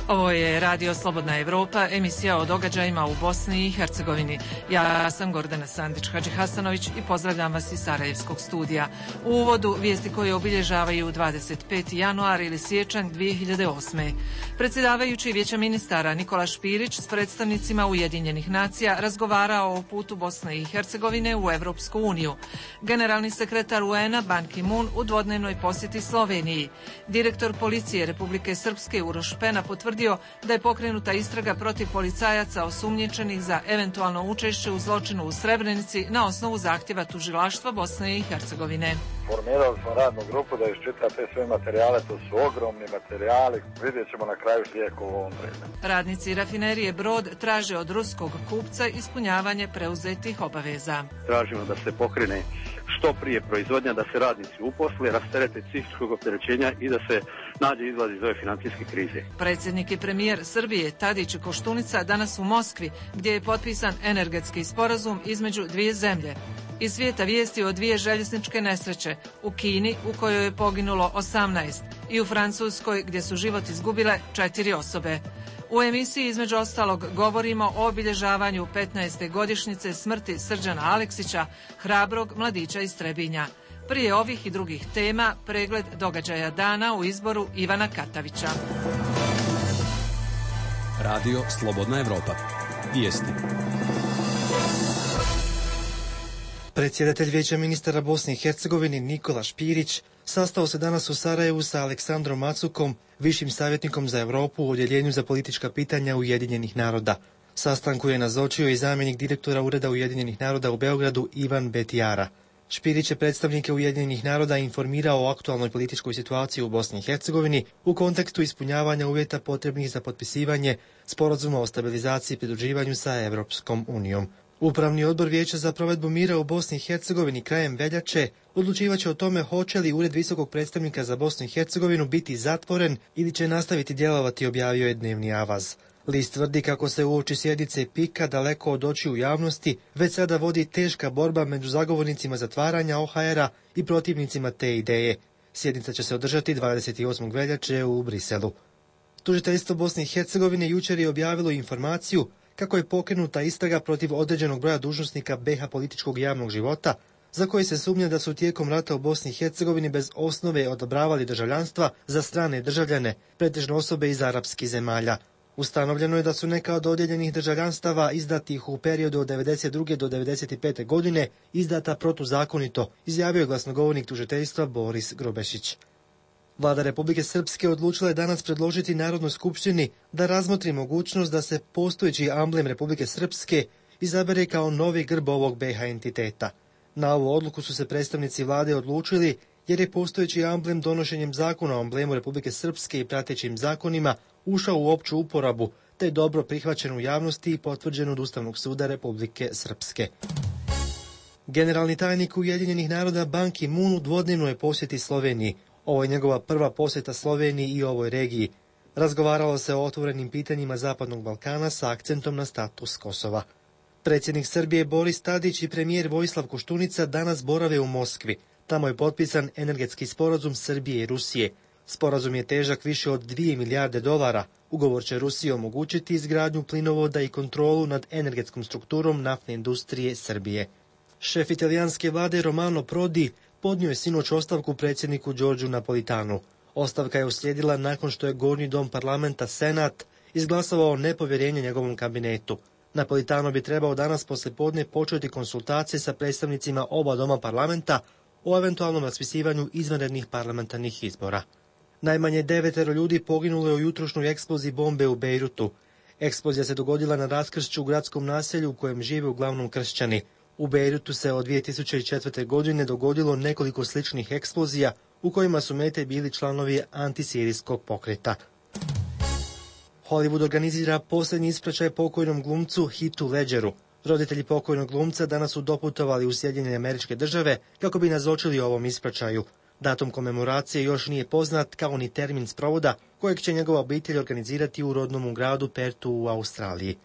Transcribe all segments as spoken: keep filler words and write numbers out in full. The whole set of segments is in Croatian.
Ovo je Radio Slobodna Evropa, emisija o događajima u Bosni i Hercegovini. Ja sam Gordana Sandić-Hadžihasanović i pozdravljam vas iz Sarajevskog studija. U uvodu vijesti koje obilježavaju dvadeset peti januar ili siječanj dvije hiljade osme. Predsjedavajući Vijeća ministara Nikola Špirić s predstavnicima Ujedinjenih nacija razgovarao o putu Bosne i Hercegovine u Evropsku uniju. Generalni sekretar U N-a Ban Ki-moon u dvodnevnoj posjeti Sloveniji. Direktor policije Republike Srpske Uroš Pena potvrdio da je pokrenuta istraga protiv policajaca osumnjičenih za eventualno učešće u zločinu u Srebrenici na osnovu zahtjeva tužilaštva Bosne i Hercegovine. Formirali smo radnu grupu da iščita te sve materijale, to su ogromni materijali, vidjet ćemo na kraju lijek u ovom vremenu. Radnici rafinerije Brod traže od ruskog kupca ispunjavanje preuzetih obaveza. Tražimo da se pokrene što prije proizvodnja, da se radnici uposle, rasterete psihičkog opterećenja i da se nađe izlaz iz ove financijske krize. Predsjednik i premijer Srbije Tadić i Koštunica danas u Moskvi, gdje je potpisan energetski sporazum između dvije zemlje. Iz svijeta vijesti o dvije željezničke nesreće, u Kini u kojoj je poginulo osamnaest i u Francuskoj gdje su život izgubile četiri osobe. U emisiji između ostalog govorimo o obilježavanju petnaeste godišnjice smrti Srđana Aleksića, hrabrog mladića iz Trebinja. Prije ovih i drugih tema pregled događaja dana u izboru Ivana Katavića. Radio Slobodna Evropa. Vijesti. Predsjedatelj Vijeća ministara Bosne i Hercegovine Nikola Špirić sastao se danas u Sarajevu sa Aleksandrom Macukom, višim savjetnikom za Europu u Odjeljenju za politička pitanja Ujedinjenih naroda. Sastanku je nazočio i zamjenik direktora Ureda Ujedinjenih naroda u Beogradu Ivan Betijara. Špirić je predstavnike Ujedinjenih naroda informirao o aktualnoj političkoj situaciji u Bosni i Hercegovini u kontekstu ispunjavanja uvjeta potrebnih za potpisivanje sporazuma o stabilizaciji i pridruživanju sa Evropskom unijom. Upravni odbor Vijeća za provedbu mira u Bosni i Hercegovini krajem veljače odlučivaće o tome hoće li Ured visokog predstavnika za Bosnu i Hercegovinu biti zatvoren ili će nastaviti djelovati, objavio je dnevni Avaz. List tvrdi kako se uoči sjednice pika daleko od očiju javnosti već sada vodi teška borba među zagovornicima zatvaranja O H R-a i protivnicima te ideje. Sjednica će se održati dvadeset osmog veljače u Briselu. Tužiteljstvo Bosne i Hercegovine jučer je objavilo informaciju kako je pokrenuta istraga protiv određenog broja dužnosnika B H političkog javnog života, za koji se sumnja da su tijekom rata u Bosni i Hercegovini bez osnove odobravali državljanstva za strane državljane, pretežno osobe iz arapskih zemalja. Ustanovljeno je da su neka od dodijeljenih državljanstava izdatih u periodu od devedeset druge do devedeset pete godine izdata protuzakonito, izjavio je glasnogovornik tužiteljstva Boris Grobešić. Vlada Republike Srpske odlučila je danas predložiti Narodnoj skupštini da razmotri mogućnost da se postojeći amblem Republike Srpske izabere kao novi grb ovog B H entiteta. Na ovu odluku su se predstavnici vlade odlučili jer je postojeći amblem donošenjem zakona o amblemu Republike Srpske i pratećim zakonima ušao u opću uporabu, te je dobro prihvaćen u javnosti i potvrđen od Ustavnog suda Republike Srpske. Generalni tajnik Ujedinjenih naroda Ban Ki-moon u dvodnevnoj posjeti Sloveniji. Ovo je njegova prva posjeta Sloveniji i ovoj regiji. Razgovaralo se o otvorenim pitanjima Zapadnog Balkana sa akcentom na status Kosova. Predsjednik Srbije Boris Tadić i premijer Vojislav Koštunica danas borave u Moskvi. Tamo je potpisan energetski sporazum Srbije i Rusije. Sporazum je težak više od dvije milijarde dolara. Ugovor će Rusiji omogućiti izgradnju plinovoda i kontrolu nad energetskom strukturom naftne industrije Srbije. Šef italijanske vlade Romano Prodi podnio je sinoć ostavku predsjedniku Đorđu Napolitanu. Ostavka je uslijedila nakon što je Gornji dom parlamenta Senat izglasovao nepovjerenje njegovom kabinetu. Napolitano bi trebao danas poslijepodne početi konsultacije sa predstavnicima oba doma parlamenta o eventualnom raspisivanju izvanrednih parlamentarnih izbora. Najmanje devetero ljudi poginulo je u jutrošnjoj eksploziji bombe u Bejrutu. Eksplozija se dogodila na raskršću u gradskom naselju u kojem žive uglavnom kršćani. U Bejrutu se od dvije tisuće četvrte. godine dogodilo nekoliko sličnih eksplozija u kojima su mete bili članovi antisirijskog pokreta. Hollywood organizira posljednji ispraćaj pokojnom glumcu Heathu Ledgeru. Roditelji pokojnog glumca danas su doputovali u Sjedinjene Američke Države kako bi nazočili ovom ispraćaju. Datum komemoracije još nije poznat, kao ni termin sprovoda kojeg će njegova obitelj organizirati u rodnom gradu Pertu u Australiji.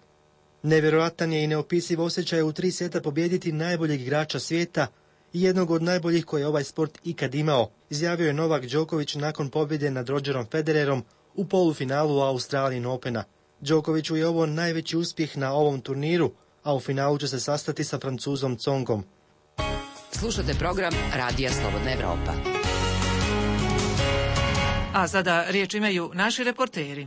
Nevjerojatan je i neopisiv osjećaj u tri seta pobijediti najboljeg igrača svijeta i jednog od najboljih koje je ovaj sport ikad imao, izjavio je Novak Đoković nakon pobjede nad Rodgerom Federerom u polufinalu Australian Opena. Đokoviću je ovo najveći uspjeh na ovom turniru, a u finalu će se sastati sa Francuzom Tsongom. Slušate program Radija Slobodna Evropa. A sada riječ imaju naši reporteri.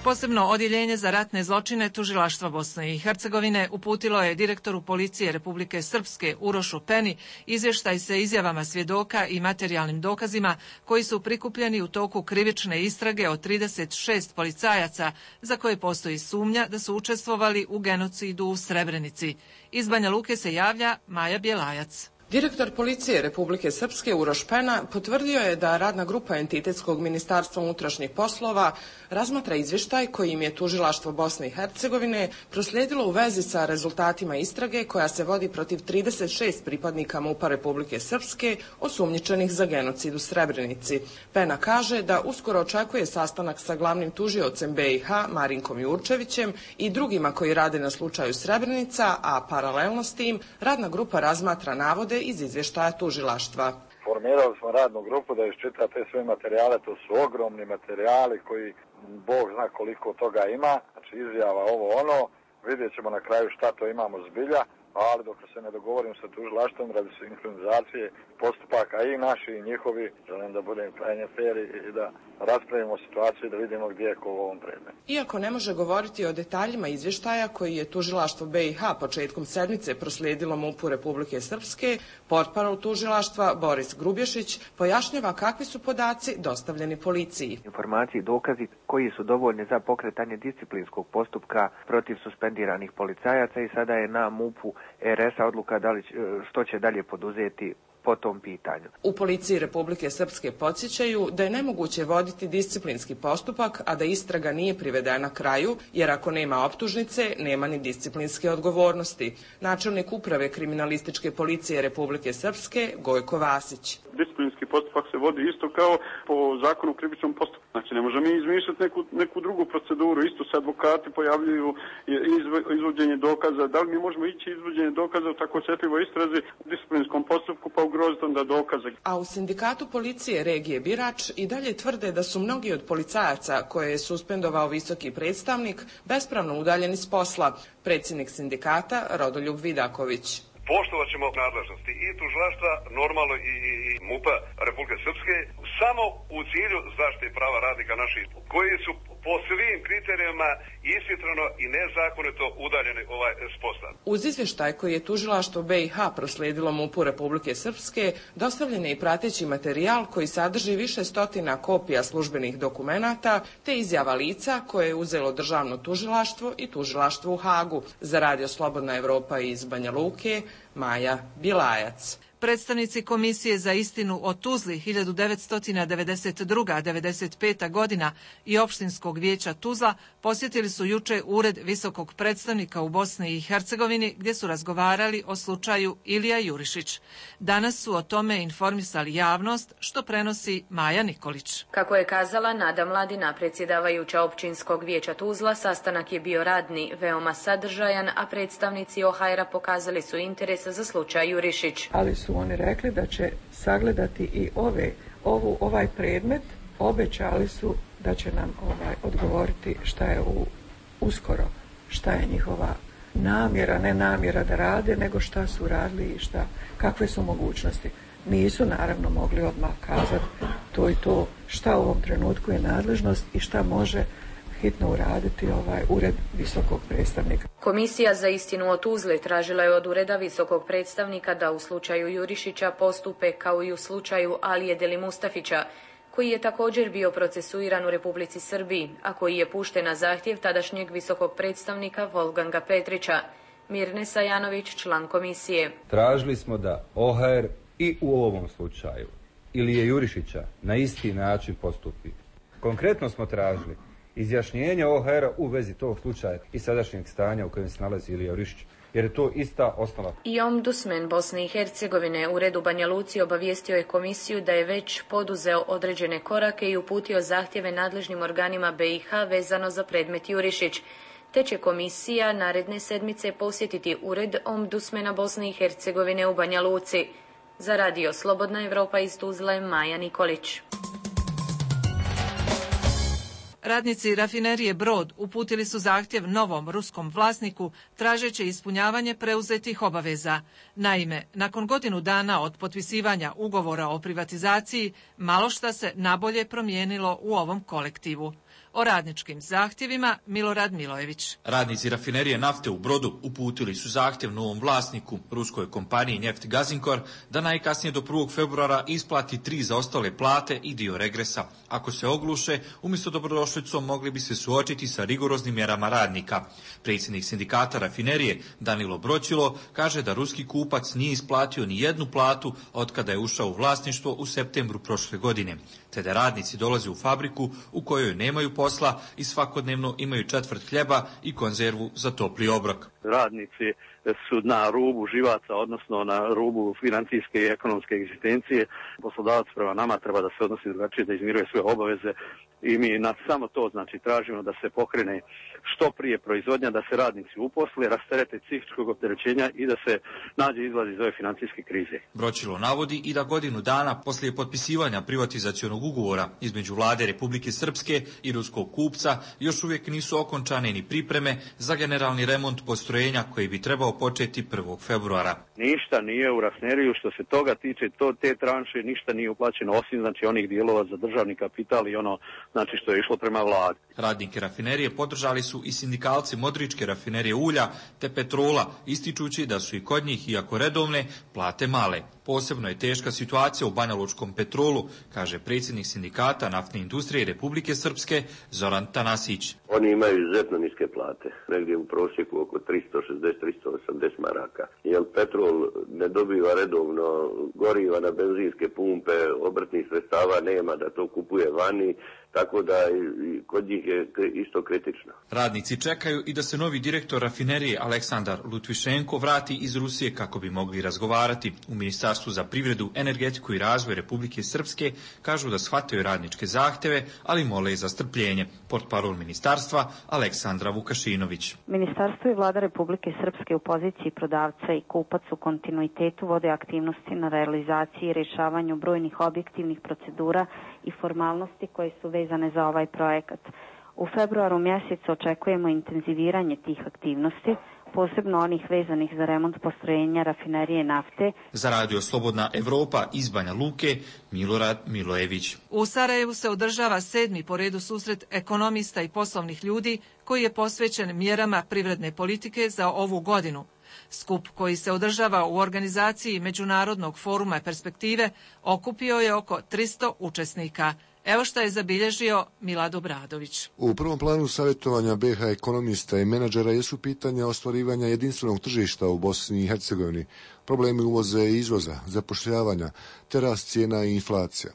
Posebno odjeljenje za ratne zločine Tužilaštva Bosne i Hercegovine uputilo je direktoru policije Republike Srpske Urošu Peni izvještaj sa izjavama svjedoka i materijalnim dokazima koji su prikupljeni u toku krivične istrage od trideset šest policajaca za koje postoji sumnja da su učestvovali u genocidu u Srebrenici. Iz Banja Luke se javlja Maja Bjelajac. Direktor policije Republike Srpske Uroš Pena potvrdio je da radna grupa Entitetskog ministarstva unutrašnjih poslova razmatra izvještaj koji im je Tužilaštvo Bosne i Hercegovine proslijedilo u vezi sa rezultatima istrage koja se vodi protiv trideset šest pripadnika MUP-a Republike Srpske osumnjičenih za genocid u Srebrenici. Pena kaže da uskoro očekuje sastanak sa glavnim tužiocem B i H Marinkom Jurčevićem i drugima koji rade na slučaju Srebrenica, a paralelno s tim radna grupa razmatra navode iz izvještaja tužilaštva. Formirali smo radnu grupu da iščita te sve materijale, to su ogromni materijali koji Bog zna koliko toga ima, znači izjava ovo ono, vidjet ćemo na kraju šta to imamo zbilja, ali dok se ne dogovorim sa tužilaštvom radi sinhronizacije postupaka i naši i njihovi, želim da budem krajnje fer i da raspravimo situaciju i da vidimo gdje je ko u ovom predmetu. Iako ne može govoriti o detaljima izvještaja koji je tužilaštvo B i H početkom sedmice proslijedilo MUP-u Republike Srpske, portparol tužilaštva Boris Grubješić pojašnjava kakvi su podaci dostavljeni policiji. Informacije i dokazi koji su dovoljni za pokretanje disciplinskog postupka protiv suspendiranih policajaca i sada je na MUP-u R S-a odluka da li, što će dalje poduzeti po tom pitanju. U policiji Republike Srpske podsjećaju da je nemoguće voditi disciplinski postupak, a da istraga nije privedena kraju, jer ako nema optužnice, nema ni disciplinske odgovornosti. Načelnik uprave kriminalističke policije Republike Srpske Gojko Vasić. Disciplinski postupak se vodi isto kao po zakonu o krivičnom postupku. Znači ne možemo mi izmišljati neku, neku drugu proceduru. Isto se advokati pojavljuju izvođenje dokaza. Da li mi možemo ići izvođenje dokaza u tako osjetljivoj istrazi u disciplinskom postupku pa ugroziti onda dokaze? A u sindikatu policije regije Birač i dalje tvrde da su mnogi od policajaca koje je suspendovao visoki predstavnik bespravno udaljeni s posla. Predsjednik sindikata Rodoljub Vidaković. Poštovat ćemo nadležnosti i tužilaštva, normalno i, i MUP-a Republike Srpske, samo u cilju zaštite prava radnika naših, koji su po svim kriterijima ishitreno i nezakonito udaljeni ovaj s posla. Uz izvještaj koji je tužilaštvo B i H proslijedilo MUP-u Republike Srpske, dostavljen je i prateći materijal koji sadrži više stotina kopija službenih dokumenata te izjava lica koje je uzelo državno tužilaštvo i tužilaštvo u Hagu. Za Radio Slobodna Evropa iz Banja Luke, Maja Bilajac. Predstavnici Komisije za istinu o Tuzli hiljadu devetsto devedeset druga do devedeset peta godina i Opštinskog vijeća Tuzla posjetili su juče ured visokog predstavnika u Bosni i Hercegovini gdje su razgovarali o slučaju Ilija Jurišić. Danas su o tome informisali javnost, što prenosi Maja Nikolić. Kako je kazala Nada Mladina, predsjedavajuća Općinskog vijeća Tuzla, sastanak je bio radni, veoma sadržajan, a predstavnici O H R-a pokazali su interes za slučaj Jurišić. Ali su oni rekli da će sagledati i ove, ovu, ovaj predmet, obećali su da će nam ovaj, odgovoriti šta je u, uskoro, šta je njihova namjera, ne namjera da rade, nego šta su radili i šta, kakve su mogućnosti. Nisu naravno mogli odmah kazati to i to šta u ovom trenutku je nadležnost i šta može hitno uraditi ovaj ured visokog predstavnika. Komisija za istinu o Tuzli tražila je od ureda visokog predstavnika da u slučaju Jurišića postupe kao i u slučaju Alije Deli Mustafića, koji je također bio procesuiran u Republici Srbiji, a koji je pušten na zahtjev tadašnjeg visokog predstavnika Wolfganga Petrića. Mirne Sajanović, član komisije. Tražili smo da O H R i u ovom slučaju Ilije Jurišića na isti način postupi. Konkretno smo tražili izjašnjenje O H R-a u vezi tog slučaja i sadašnjeg stanja u kojem se nalazi Ilija Jurišić, jer je to ista osnova. I ombudsman Bosne i Hercegovine u redu Banja Luci obavijestio je komisiju da je već poduzeo određene korake i uputio zahtjeve nadležnim organima B i H vezano za predmet Jurišić, te će komisija naredne sedmice posjetiti ured ombudsmana Bosne i Hercegovine u Banja Luci. Za Radio Slobodna Evropa iz Tuzle, Maja Nikolić. Radnici rafinerije Brod uputili su zahtjev novom ruskom vlasniku tražeći ispunjavanje preuzetih obaveza. Naime, nakon godinu dana od potpisivanja ugovora o privatizaciji, malo šta se nabolje promijenilo u ovom kolektivu. O radničkim zahtjevima Milorad Milojević. Radnici rafinerije nafte u Brodu uputili su zahtjev novom vlasniku, ruskoj kompaniji Neft Gazinkor, da najkasnije do prvog februara isplati tri zaostale plate i dio regresa. Ako se ogluše, umjesto dobrodošlicom mogli bi se suočiti sa rigoroznim mjerama radnika. Predsjednik sindikata rafinerije Danilo Broćilo kaže da ruski kupac nije isplatio ni jednu platu od kada je ušao u vlasništvo u septembru prošle godine, te da radnici dolaze u fabriku u kojoj nemaju posla i svakodnevno imaju četvrt hljeba i konzervu za topli obrok. Radnici su na rubu živaca, odnosno na rubu financijske i ekonomske egzistencije. Poslodavac prema nama treba da se odnosi drugačije, da izmiruje svoje obaveze i mi na samo to znači tražimo da se pokrene što prije proizvodnja, da se radnici uposle, rasterete psihičkog opterećenja i da se nađe izlaz iz ove financijske krize. Broćilo navodi i da godinu dana poslije potpisivanja privatizacionog ugovora između vlade Republike Srpske i ruskog kupca još uvijek nisu okončane ni pripreme za generalni remont postrojenja koji bi trebao početi prvog februara. Ništa nije u rafineriju što se toga tiče, to te tranše, ništa nije uplaćeno osim znači onih dijelova za državni kapital i ono znači što je išlo prema vladi. Radnike rafinerije podržali su i sindikalci Modričke rafinerije ulja te Petrola, ističući da su i kod njih, iako redovne, plate male. Posebno je teška situacija u Banjalučkom Petrolu, kaže predsjednik sindikata naftne industrije Republike Srpske Zoran Tanasić. Oni imaju izuzetno niske plate, negdje u prosjeku oko tristo šezdeset do tristo osamdeset maraka. Jer Petrol ne dobiva redovno goriva na benzinske pumpe, obrtnih sredstava nema da to kupuje vani, tako da i kod njih je isto kritično. Radnici čekaju i da se novi direktor rafinerije Aleksandar Lutvišenko vrati iz Rusije kako bi mogli razgovarati. U Ministarstvu za privredu, energetiku i razvoj Republike Srpske kažu da shvataju radničke zahtjeve, ali mole za strpljenje. Portparol ministarstva Aleksandra Vukašinović. Ministarstvo i vlada Republike Srpske u poziciji prodavca i kupac u kontinuitetu vode aktivnosti na realizaciji i rješavanju brojnih objektivnih procedura i formalnosti koje su vezane za ovaj projekat. U februaru mjesecu očekujemo intenziviranje tih aktivnosti, posebno onih vezanih za remont postrojenja rafinerije nafte. Za Radio Slobodna Evropa iz Banja Luke, Milorad Milojević. U Sarajevu se održava sedmi po redu susret ekonomista i poslovnih ljudi koji je posvećen mjerama privredne politike za ovu godinu. Skup koji se održava u organizaciji Međunarodnog foruma perspektive okupio je oko tristo učesnika. Evo što je zabilježio Milad Obradović. U prvom planu savjetovanja be ha ekonomista i menadžera jesu pitanja ostvarivanja jedinstvenog tržišta u Bosni i Hercegovini, problemi uvoza i izvoza, zapošljavanja, te rast cijena i inflacija.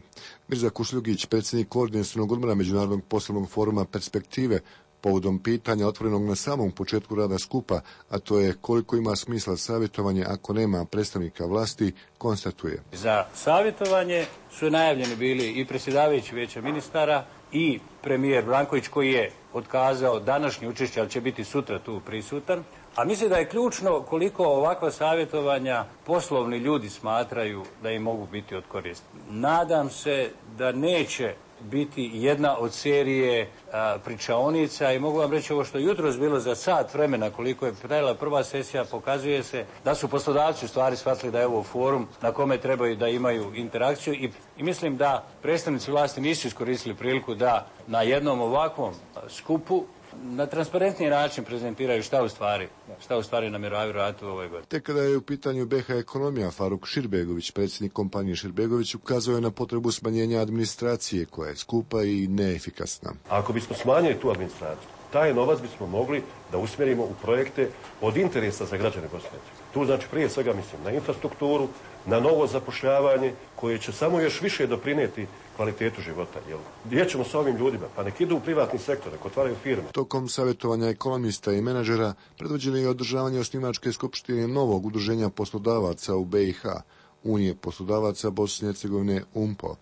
Mirza Kušljugić, predsjednik koordinacionog odbora Međunarodnog poslovnog foruma perspektive, povodom pitanja otvorenog na samom početku rada skupa, a to je koliko ima smisla savjetovanje ako nema predstavnika vlasti, konstatuje. Za savjetovanje su najavljeni bili i predsjedavajući Vijeća ministara i premijer Branković koji je otkazao današnje učešće, ali će biti sutra tu prisutan. A mislim da je ključno koliko ovakva savjetovanja poslovni ljudi smatraju da im mogu biti od koristi. Nadam se da neće biti jedna od serije a, pričaonica i mogu vam reći ovo što je jutros bilo za sat vremena koliko je trajala prva sesija, pokazuje se da su poslodavci u stvari shvatili da je ovo forum na kome trebaju da imaju interakciju i, i mislim da predstavnici vlasti nisu iskoristili priliku da na jednom ovakvom skupu na transparentniji način prezentiraju šta u stvari, šta u stvari namjeravaju raditi u ovoj godini. Tek kada je u pitanju be ha ekonomija, Faruk Širbegović, predsjednik kompanije Širbegović, ukazao je na potrebu smanjenja administracije koja je skupa i neefikasna. Ako bismo smanjili tu administraciju, taj novac bismo mogli da usmjerimo u projekte od interesa za građane Bosne i Hercegovine. Tu znači prije svega mislim na infrastrukturu, na novo zapošljavanje koje će samo još više doprinijeti kvalitetu života. Jel? Gdje ćemo s ovim ljudima? Pa nek idu u privatni sektor, nek otvaraju firme. Tokom savjetovanja ekonomista i menadžera predvođeno je održavanje osnivačke skupštine novog udruženja poslodavaca u be i ha, Unije poslodavaca Bosne i Hercegovine U M P O.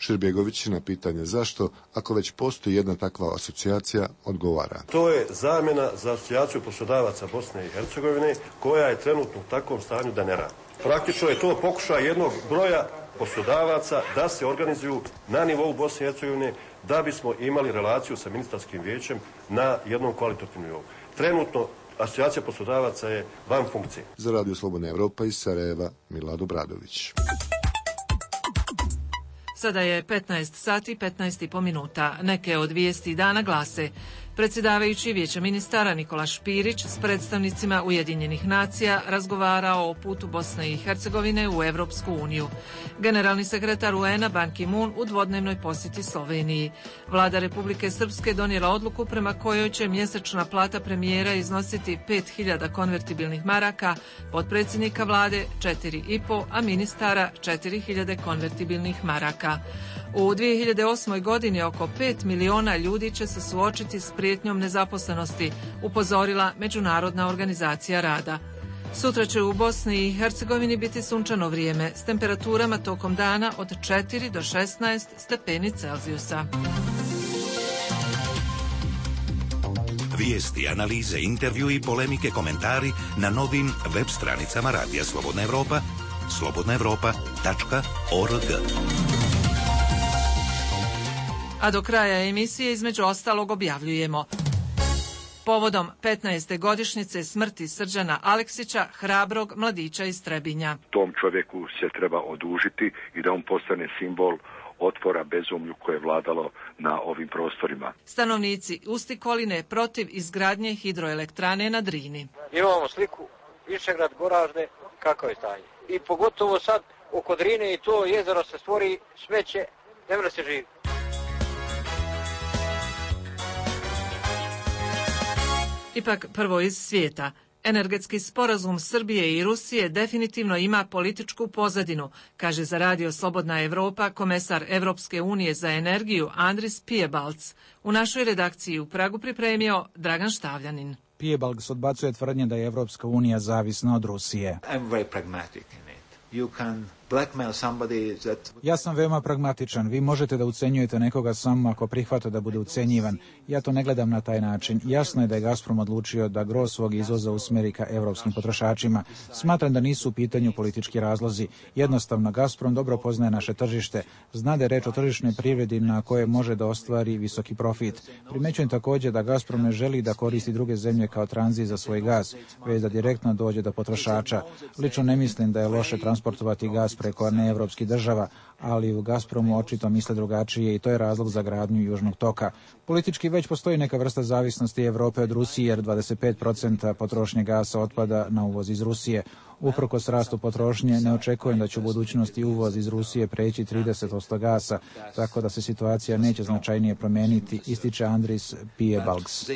Širbegović na pitanje zašto, ako već postoji jedna takva asocijacija, odgovara. To je zamjena za asocijaciju poslodavaca Bosne i Hercegovine koja je trenutno u takvom stanju da ne radi. Praktično je to pokušaj jednog broja poslodavaca da se organizuju na nivou Bosne i Hercegovine da bismo imali relaciju sa ministarskim vijećem na jednom kvalitetnom nivou. Trenutno asocijacija poslodavaca je van funkcije. Za Radio Slobodna Evropa iz Sarajeva, Milad Obradović. Sada je petnaest sati petnaest i po minuta. Neke od vijesti dana glase: predsjedavajući Vijeća ministara Nikola Špirić s predstavnicima Ujedinjenih nacija razgovarao o putu Bosne i Hercegovine u Evropsku uniju. Generalni sekretar U N-a Ban Ki-moon u dvodnevnoj posjeti Sloveniji. Vlada Republike Srpske donijela odluku prema kojoj će mjesečna plata premijera iznositi pet hiljada konvertibilnih maraka, potpredsjednika vlade četiri i po, a ministara četiri hiljade konvertibilnih maraka. U dvije hiljade osmoj. godini oko pet miliona ljudi će se suočiti s prijetnjom nezaposlenosti, upozorila Međunarodna organizacija rada. Sutra će u Bosni i Hercegovini biti sunčano vrijeme s temperaturama tokom dana od četiri do šesnaest stepeni Celzijusa. Vijesti, analize, intervju i polemike, komentari na novim web stranicama Radija Slobodna Evropa, slobodna evropa tačka org. A do kraja emisije između ostalog objavljujemo: povodom petnaeste godišnjice smrti Srđana Aleksića, hrabrog mladića iz Trebinja. Tom čovjeku se treba odužiti i da on postane simbol otpora bezumlju koje je vladalo na ovim prostorima. Stanovnici Ustikoline protiv izgradnje hidroelektrane na Drini. Imamo sliku Višegrad, Goražde, kako je stanje. I pogotovo sad oko Drine i to jezero se stvori smeće, ne mre se živi. Ipak prvo iz svijeta. Energetski sporazum Srbije i Rusije definitivno ima političku pozadinu, kaže za Radio Slobodna Evropa komesar Evropske unije za energiju Andris Piebalgs. U našoj redakciji u Pragu pripremio Dragan Štavljanin. Piebalgs odbacuje tvrdnje da je Evropska unija zavisna od Rusije. I'm very pragmatic in it. You can blackmail somebody that... Ja sam veoma pragmatičan. Vi možete da ucenjujete nekoga samo ako prihvata da bude ucenjivan. Ja to ne gledam na taj način. Jasno je da je Gazprom odlučio da gro svog izvoza usmeri ka evropskim potrošačima. Smatram da nisu u pitanju politički razlozi. Jednostavno, Gazprom dobro poznaje naše tržište. Zna da je reč o tržišnoj privredi na koje može da ostvari visoki profit. Primećujem također da Gazprom ne želi da koristi druge zemlje kao tranzit za svoj gaz, već da direktno dođe do potrošača. Lično ne mislim da je loše transportovati gaz preko neevropskih država, ali u Gazpromu očito misle drugačije i to je razlog za gradnju Južnog toka. Politički već postoji neka vrsta zavisnosti Evrope od Rusije, jer dvadeset pet posto potrošnje gasa otpada na uvoz iz Rusije. Uprkos rastu potrošnje, ne očekujem da će u budućnosti uvoz iz Rusije preći trideset posto gasa, tako da se situacija neće značajnije promijeniti, ističe Andris Piebalgs.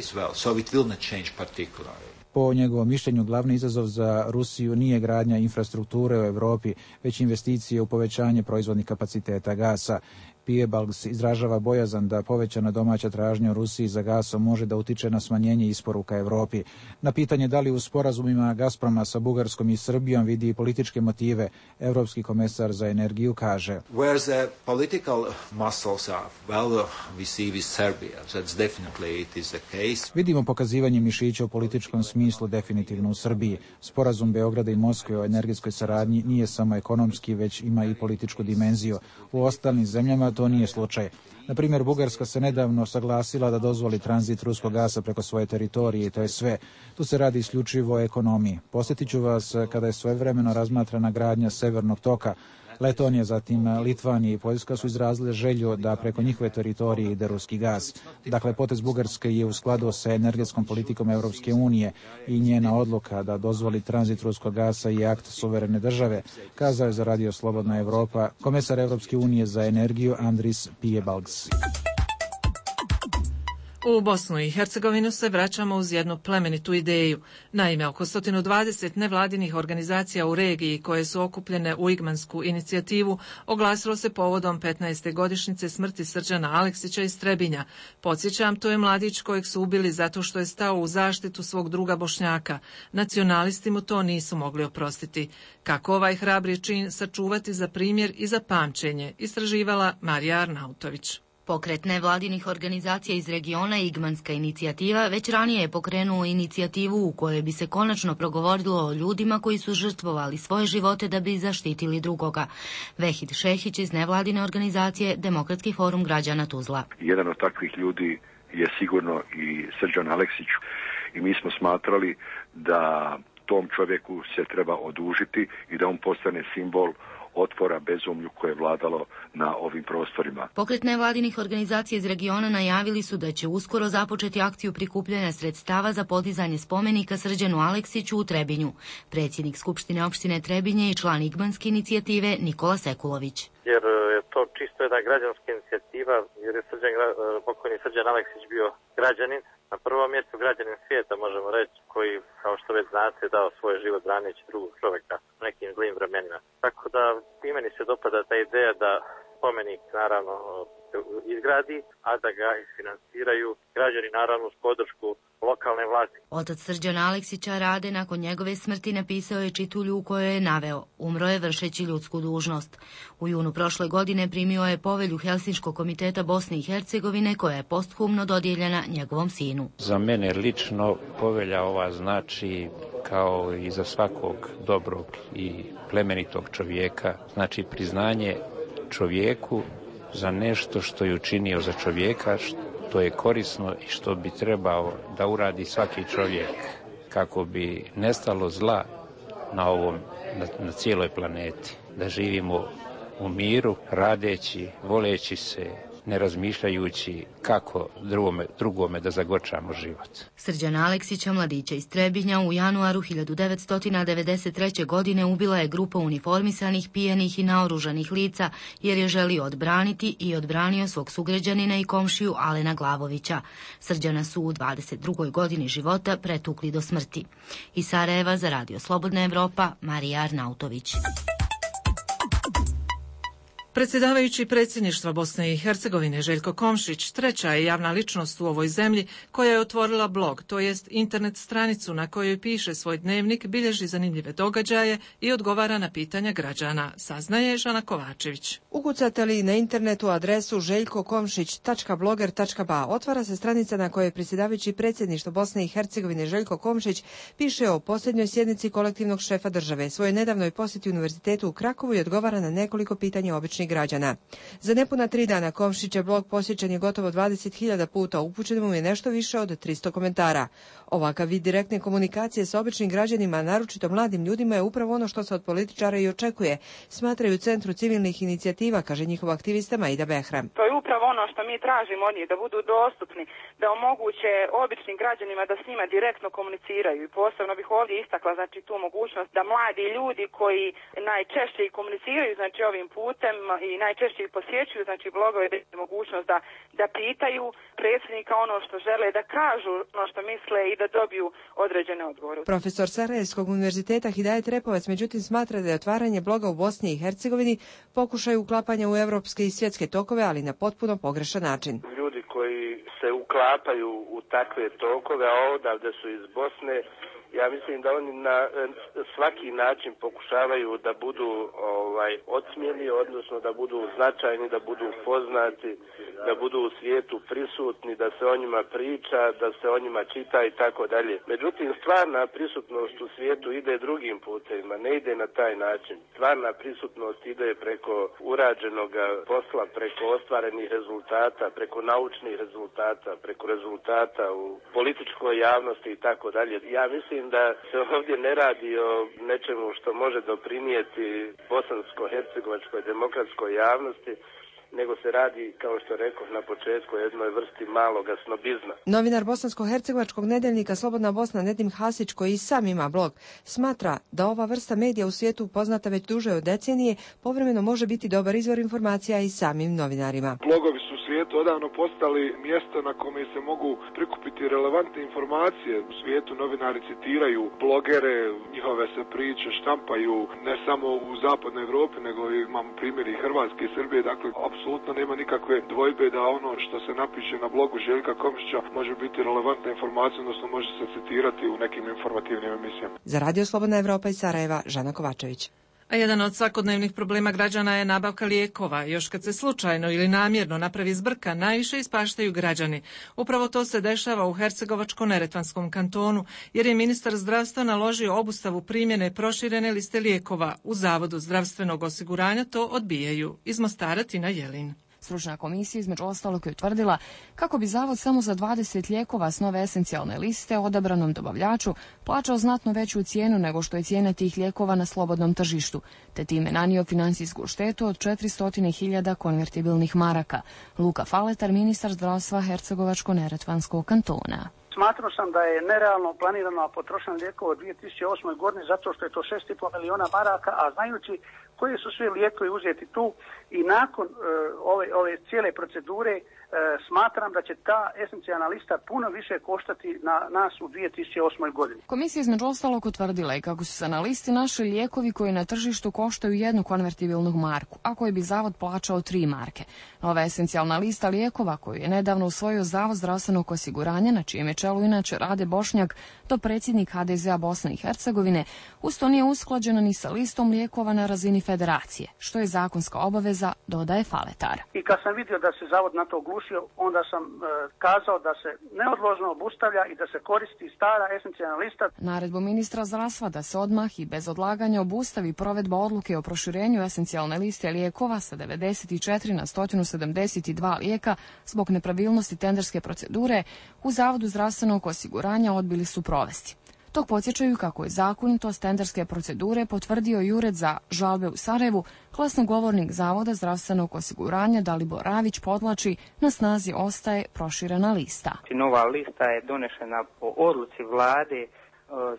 Po njegovom mišljenju, glavni izazov za Rusiju nije gradnja infrastrukture u Europi, već investicije u povećanje proizvodnih kapaciteta gasa. Piebalgs izražava bojazan da povećana domaća tražnja u Rusiji za gasom može da utiče na smanjenje isporuka Evropi. Na pitanje da li u sporazumima Gazproma sa Bugarskom i Srbijom vidi političke motive, evropski komesar za energiju kaže: Where the political muscles are, well, we see with Serbia, that's definitely it is the case. Vidimo pokazivanje mišića u političkom smislu definitivno u Srbiji. Sporazum Beograda i Moskve o energetskoj saradnji nije samo ekonomski, već ima i političku dimenziju. U ostalim zemljama to nije slučaj. Na primjer, Bugarska se nedavno saglasila da dozvoli tranzit ruskog gasa preko svoje teritorije i to je sve. Tu se radi isključivo o ekonomiji. Posjetit ću vas kada je svojevremeno razmatrana gradnja Severnog toka. Letonija, zatim Litvanija i Poljska su izrazile želju da preko njihove teritorije ide ruski gaz. Dakle, potez Bugarske je u skladu sa energetskom politikom Evropske unije i njena odluka da dozvoli tranzit ruskog gasa i akt suverene države, kazao je za Radio Slobodna Evropa komesar Evropske unije za energiju Andris Piebalgs. U Bosnu i Hercegovinu se vraćamo uz jednu plemenitu ideju. Naime, oko sto dvadeset nevladinih organizacija u regiji koje su okupljene u Igmansku inicijativu oglasilo se povodom petnaeste godišnjice smrti Srđana Aleksića iz Trebinja. Podsjećam, to je mladić kojeg su ubili zato što je stao u zaštitu svog druga Bošnjaka. Nacionalisti mu to nisu mogli oprostiti. Kako ovaj hrabri čin sačuvati za primjer i za pamćenje, istraživala Marija Arnautović. Pokret nevladinih organizacija iz regiona Igmanska inicijativa već ranije je pokrenuo inicijativu u kojoj bi se konačno progovorilo o ljudima koji su žrtvovali svoje živote da bi zaštitili drugoga. Vehid Šehić iz nevladine organizacije Demokratski forum građana Tuzla. Jedan od takvih ljudi je sigurno i Srđan Aleksić i mi smo smatrali da tom čovjeku se treba odužiti i da on postane simbol otpora bezumlju koje je vladalo na ovim prostorima. Pokret nevladinih organizacija iz regiona najavili su da će uskoro započeti akciju prikupljanja sredstava za podizanje spomenika Srđanu Aleksiću u Trebinju. Predsjednik Skupštine opštine Trebinje i član Igmanske inicijative Nikola Sekulović. Jer je to čisto jedna građanska inicijativa, jer je Srđan, pokojni Srđan Aleksić bio građanin, na prvom mjestu građanin svijeta, možemo reći, koji, kao što već znate, dao svoj život braneći drugog čovjeka u nekim zlim vremenima. Tako da i meni se dopada ta ideja da spomenik naravno izgradi, a da ga isfinansiraju građani naravno uz podršku lokalne vlasti. Otac Srđana Aleksića Rade nakon njegove smrti napisao je čitulju u kojoj je naveo: umro je vršeći ljudsku dužnost. U junu prošle godine primio je povelju Helsinškog komiteta Bosne i Hercegovine koja je posthumno dodijeljena njegovom sinu. Za mene lično povelja ova znači, kao i za svakog dobrog i plemenitog čovjeka, znači priznanje čovjeku za nešto što je učinio za čovjeka, što je korisno i što bi trebao da uradi svaki čovjek kako bi nestalo zla na ovom, na, na cijeloj planeti. Da živimo u miru, radeći, voleći se, ne razmišljajući kako drugome, drugome da zagorčamo život. Srđana Aleksića, mladića iz Trebinja, u januaru hiljadu devetsto devedeset treće. godine ubila je grupa uniformisanih, pijanih i naoružanih lica jer je želio odbraniti i odbranio svog sugrađanina i komšiju Alena Glavovića. Srđana su u dvadeset drugoj godini života pretukli do smrti. Iz Sarajeva za Radio Slobodna Evropa, Marija Arnautović. Predsjedavajući predsjedništva Bosne i Hercegovine Željko Komšić treća je javna ličnost u ovoj zemlji koja je otvorila blog, to jest internet stranicu na kojoj piše svoj dnevnik, bilježi zanimljive događaje i odgovara na pitanja građana, saznaje Žana Kovačević. Ukucate li na internetu adresu željko komšić tačka bloger tačka ba, otvara se stranica na kojoj predsjedavajući predsjedništvo Bosne i Hercegovine Željko Komšić piše o posljednjoj sjednici kolektivnog šefa države, svojoj nedavnoj posjeti Univerzitetu u Krakovu i odgovara na nekoliko pitanja običnih građana. Za nepuna tri dana Komšićev blog posjećen je gotovo dvadeset hiljada puta, upućeno mu je nešto više od tristo komentara. Ovakav vid direktne komunikacije sa običnim građanima, naročito mladim ljudima, je upravo ono što se od političara i očekuje, smatraju u Centru civilnih inicijativa, kaže njihov aktivista Maida Behram. To je upravo ono što mi tražimo od njih, da budu dostupni, da omoguće običnim građanima da s njima direktno komuniciraju. I posebno bih ovdje istakla znači tu mogućnost da mladi ljudi koji najčešće i komuniciraju znači ovim putem i najčešće ih posjećuju, znači blogove, da je mogućnost da, da pitaju predsjednika ono što žele, da kažu ono što misle i da dobiju određene odgovore. Profesor Sarajevskog univerziteta Hidajet Repovac međutim smatra da je otvaranje bloga u Bosni i Hercegovini pokušaj uklapanja u evropske i svjetske tokove, ali na potpuno pogrešan način. Ljudi koji se uklapaju u takve tokove, a odavde su iz Bosne, ja mislim da oni na svaki način pokušavaju da budu ovaj odsmijeni, odnosno da budu značajni, da budu poznati, da budu u svijetu prisutni, da se o njima priča, da se o njima čita i tako dalje. Međutim, stvarna prisutnost u svijetu ide drugim putevima, ne ide na taj način. Stvarna prisutnost ide preko urađenog posla, preko ostvarenih rezultata, preko naučnih rezultata, preko rezultata u političkoj javnosti i tako dalje. Ja mislim da se ovdje ne radi o nečemu što može doprinijeti bosansko-hercegovačkoj demokratskoj javnosti, nego se radi, kao što rekoh na početku, jednoj vrsti maloga snobizma. Novinar bosansko-hercegovačkog nedeljnika Slobodna Bosna Nedim Hasić, koji i sam ima blog, smatra da ova vrsta medija u svijetu poznata već duže od decenije povremeno može biti dobar izvor informacija i samim novinarima. Blogovi su u svijetu odavno postali mjesto na kome se mogu prikupiti relevantne informacije. U svijetu novinari citiraju blogere, njihove se priče štampaju ne samo u zapadnoj Europi, nego imamo primjer i Hrvatske i Srbije, dakle apsolutno nema nikakve dvojbe da ono što se napiše na blogu Željka Komšića može biti relevantna informacija, odnosno može se citirati u nekim informativnim emisijama. Za Radio Slobodna Evropa iz Sarajeva, Žana Kovačević. A jedan od svakodnevnih problema građana je nabavka lijekova. Još kad se slučajno ili namjerno napravi zbrka, najviše ispaštaju građani. Upravo to se dešava u Hercegovačko-neretvanskom kantonu, jer je ministar zdravstva naložio obustavu primjene proširene liste lijekova. U Zavodu zdravstvenog osiguranja to odbijaju. Iz Mostara Tina Jelin. Stručna komisija između ostalog je utvrdila kako bi zavod samo za dvadeset lijekova s nove esencijalne liste odabranom dobavljaču plaćao znatno veću cijenu nego što je cijena tih lijekova na slobodnom tržištu, te time nanio financijsku štetu od četiristo hiljada konvertibilnih maraka. Luka Faletar, ministar zdravstva Hercegovačko-neretvanskog kantona. Smatrao sam da je nerealno planirano potrošeno lijekova u dvije tisuće osmoj godini zato što je to šest i pol miliona maraka, a znajući koji su svi lijekovi uzeti tu i nakon uh, ove, ove cijele procedure uh, smatram da će ta esencijalna lista puno više koštati na nas u dvije tisuće osmoj godini. Komisija između ostalog utvrdila i kako su se na listi našli lijekovi koji na tržištu koštaju jednu konvertibilnu marku, a koji bi zavod plaćao tri marke. Nova esencijalna lista lijekova koju je nedavno usvojio Zavod zdravstvenog osiguranja, na čijem je čelu inače Rade Bošnjak, to predsjednik ha de zea Bosne i Hercegovine, usto nije usklađena ni sa listom lijekova na razini federacije, što je zakonska obaveza, dodaje Faletar. I kad sam vidio da se zavod na to oglušio, onda sam e, kazao da se neodložno obustavlja i da se koristi stara esencijalna lista. Naredbu ministra zdravstva da se odmah i bez odlaganja obustavi provedba odluke o proširenju esencijalne liste lijekova sa devedeset četiri na sto sedamdeset dva lijeka zbog nepravilnosti tenderske procedure u Zavodu zdravstvenog osiguranja odbili su provesti. Tog podsjećaju kako je zakonitost tenderske procedure potvrdio i Ured za žalbe u Sarajevu, glasnogovornik Zavoda zdravstvenog osiguranja Dalibor Ravić podvlači, na snazi ostaje proširena lista. Nova lista je donešena po odluci vlade,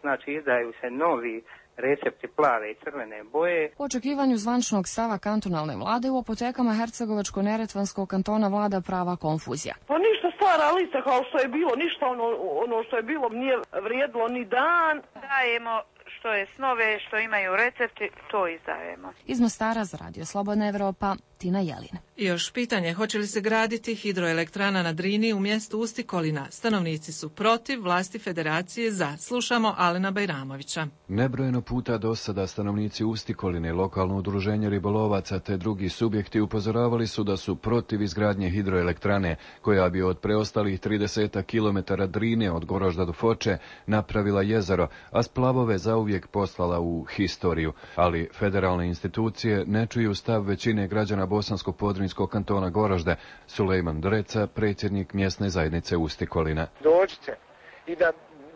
znači izdaju se novi recepti plave i crvene boje. U očekivanju zvančnog stava kantonalne vlade u apotekama Hercegovačko-neretvanskog kantona vlada prava konfuzija. Pa ništa stara lista kao što je bilo, ništa ono, ono što je bilo nije vrijedilo ni dan. Dajemo što je snove, što imaju recepti, to izdajemo. Iz Mostara za Radio Slobodna Evropa, Tina Jelin. I još pitanje, hoće li se graditi hidroelektrana na Drini u mjestu Ustikolina? Stanovnici su protiv, vlasti federacije za. Slušamo Alena Bajramovića. Nebrojeno puta do sada stanovnici Ustikoline, lokalno udruženje ribolovaca te drugi subjekti upozoravali su da su protiv izgradnje hidroelektrane, koja bi od preostalih trideset kilometara Drine od Gorožda do Foče napravila jezero, a splavove zauvijek poslala u historiju. Ali federalne institucije ne čuju stav većine građana Bosansko-Podrinjskog kantona Goražde. Sulejman Dreca, predsjednik mjesne zajednice Ustikolina. Dođite i da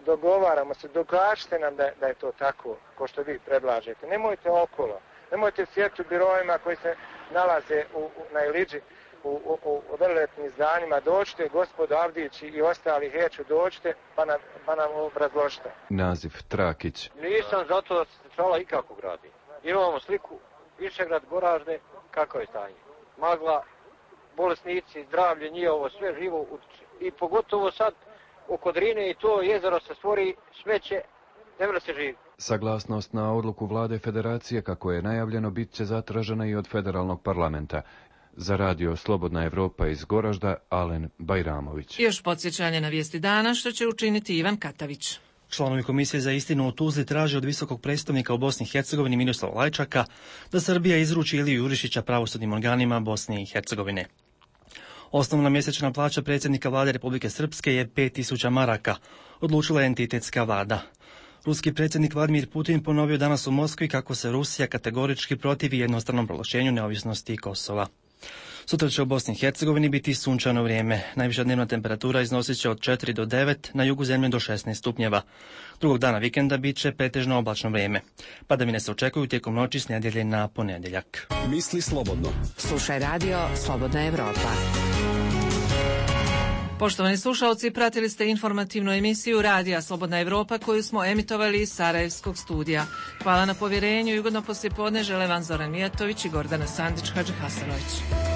dogovaramo se, dokažite nam da, da je to tako, ko što vi predlažete. Nemojte okolo, nemojte sjeti u birojima koji se nalaze u, u, na Iliđi, u, u, u veliletnim zdanjima. Dođite, gospodo Avdić i ostali heću, dođite pa nam, pa nam obrazložite. Naziv Trakić. Nisam zato da se centrala ikako gradi. Imamo sliku Višegrad, Goražde, kako je stanje. Magla, bolesnici, zdravlje, njihovo, sve živo utiče. I pogotovo sad oko Drine i to jezero se stvori smeće, ne mora se živi. Saglasnost na odluku vlade federacije, kako je najavljeno, bit će zatražena i od federalnog parlamenta. Za Radio Slobodna Evropa iz Goražda, Alen Bajramović. I još podsjećanje na vijesti dana, što će učiniti Ivan Katavić. Članovi Komisije za istinu u Tuzli traže od visokog predstavnika u Bosni i Hercegovini Miroslava Lajčaka da Srbija izruči Iliju Jurišića pravosudnim organima Bosne i Hercegovine. Osnovna mjesečna plaća predsjednika vlade Republike Srpske je pet tisuća maraka, odlučila je entitetska vlada. Ruski predsjednik Vladimir Putin ponovio danas u Moskvi kako se Rusija kategorički protivi jednostranom proglašenju neovisnosti Kosova. Sutra će u Bosni i Hercegovini biti sunčano vrijeme. Najviša dnevna temperatura iznosit će od četiri do devet, na jugu zemlje do šesnaest stupnjeva. Drugog dana vikenda bit će pretežno oblačno vrijeme. Padavine se očekuju tijekom noći s nedjelje na ponedjeljak. Misli slobodno. Slušaj Radio Slobodna Evropa. Poštovani slušalci, pratili ste informativnu emisiju Radija Slobodna Evropa koju smo emitovali iz Sarajevskog studija. Hvala na povjerenju i ugodno poslijepodne žele vam Zoran Mijatović i Gordana Sandić Hadžihasanović.